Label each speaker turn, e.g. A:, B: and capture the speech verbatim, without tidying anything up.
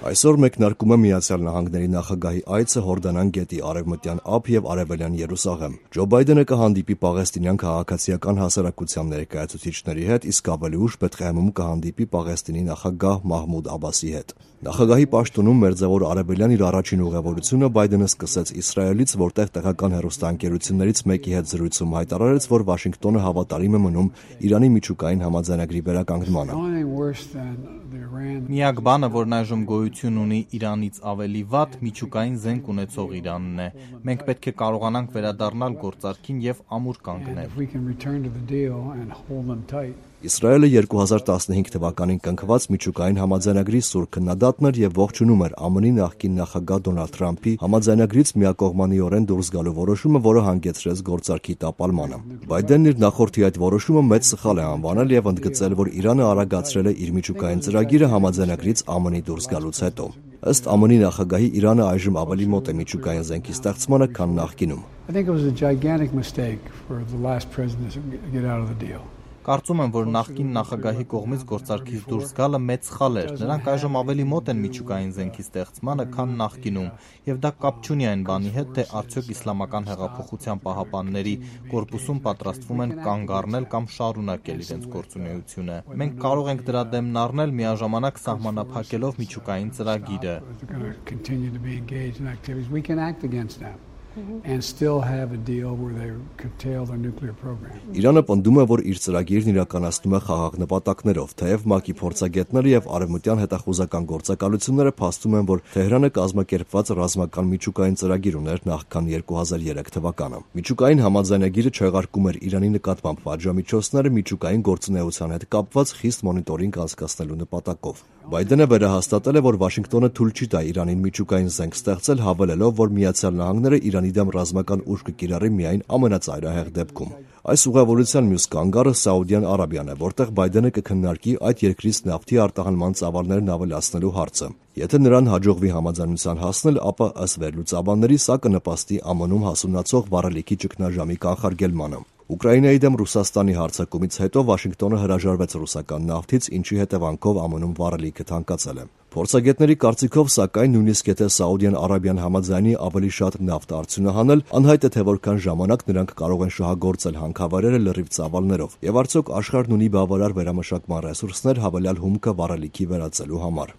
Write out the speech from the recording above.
A: Այսօր մեկնարկում է Միացյալ Նահանգների նախագահի այցը Հորդանան գետի արևմտյան ափ եւ արևելյան Երուսաղեմ։ Ջո Բայդենը կհանդիպի պաղեստինյան քաղաքացիական հասարակության ներկայացուցիչների հետ, իսկ ավելի ուշ Բեթղեհեմում կհանդիպի Պաղեստինի նախագահ Մահմուդ Աբասի հետ։ Նախագահի պաշտոնում Մերձավոր Արևելյան իր առաջին ուղևորությունը Բայդենը սկսեց Իսրայելից, որտեղ տեղական հեռուստաընկերություններից մեկի հետ զրույցում հայտարարեց, որ Վաշինգտոնը հավատարիմ է մնում Իրանի միջուկային համաձայնագրի վերականգնմանը։
B: Միակ բանը, որն այժմ գոյություն ունի Իրանից ավելի վատ, միջուկային զենք ունեցող Իրանն է։ Մենք պետք է կարողանանք վերադառնալ գործարքին եւ ամուր կանգնել։
A: Իսրայելը երկու հազար տասնհինգ թվականին կնքված միջուկային համաձայնագրի սուր քննադատն էր եւ ողջունում էր ԱՄՆ-ի նախկին նախագահ Դոնալդ Թրամփի համաձայնագրից միակողմանիորեն դուրս գալու որոշումը, որը հանգեցրեց գործարքի տապալմանը։ Բայդենն իր նախորդի այդ որոշումը մեծ սխալ է անվանել եւ ընդգծել, որ Իրանը արագացրել է իր միջուկային ծրագիրը համաձայնագրից ԱՄՆ-ի դուրս գալուց հետո։ Ըստ ԱՄՆ-ի նախագահի Իրանը այժմ ավելի մոտ է միջուկային զենքի ստեղծմանը, քան նախկինում։
B: Կարծում եմ, որ նախկին նախագահի կողմից գործարքից դուրս գալը մեծ սխալ էր։ Նրանք այժմ ավելի մոտ են միջուկային զենքի ստեղծմանը, քան նախկինում, եւ դա կապ չունի այն բանի հետ, թե արդյոք Իսլամական հեղափոխության պահապանների կորպուսում պատրաստվում են կանգ առնել կամ շարունակել իրենց գործունեությունը։ Մենք կարող ենք դրա դեմն առնել միաժամանակ սահմանափակելով միջուկային ծրագիրը։
A: Իրանը պնդում է, որ իր ծրագիրն իրականացնում է խաղաղ նպատակներով, թեև ՄԱԿ-ի փորձագետները եւ արևմտյան հետախուզական գործակալությունները փաստում են, որ Թեհրանը կազմակերպված ռազմական միջուկային ծրագիր ուներ նախքան երկու հազար երեք թվականը։ Միջուկային համաձայնագիրը չեղարկում էր Իրանի նկատմամբ պատժամիջոցները միջուկային գործունեության հետ կապված խիստ մոնիտորինգ անցկացնելու նպատակով։ Բայդենը վերահաստատել է, որ Վաշինգտոնը թույլ չի տա Իրանին միջուկային զենք ստեղծել, հավելելով, որ Միացյալ Նահանգները Իրանի դեմ ռազմական ուժ կկիրառի միայն ամենածայրահեղ դեպքում։ Այս ուղևորության մյուս կանգառը Սաուդյան Արաբիան է, որտեղ Բայդենը կքննարկի այդ երկրից նավթի արտահանման ծավալներն ավելացնելու հարցը։ Եթե նրան հաջողվի համաձայնության հասնել, ապա ըստ վերլուծաբանների սա կնպաստի ԱՄՆ-ում հասունացող վառելիքի ճգնաժամի կանխարգելմանը։ Ուկրաինայի դեմ Ռուսաստանի հարձակումից հետո Վաշինգտոնը հրաժարվեց ռուսական նավթից, ինչի հետևանքով ԱՄՆ-ում վառելիքը թանկացել է։ Փորձագետների կարծիքով, սակայն, նույնիսկ եթե Սաուդյան Արաբիան համաձայնի ավելի շատ նավթ արդյունահանել, անհայտ է, թե որքան ժամանակ նրանք կարող են շահագործել հանքավայրերը լրիվ ծավալներով, եւ արդյոք աշխարհն ունի բավարար վերամշակման ռեսուրսներ հավելյալ հումքը վառելիքի վերածելու համար։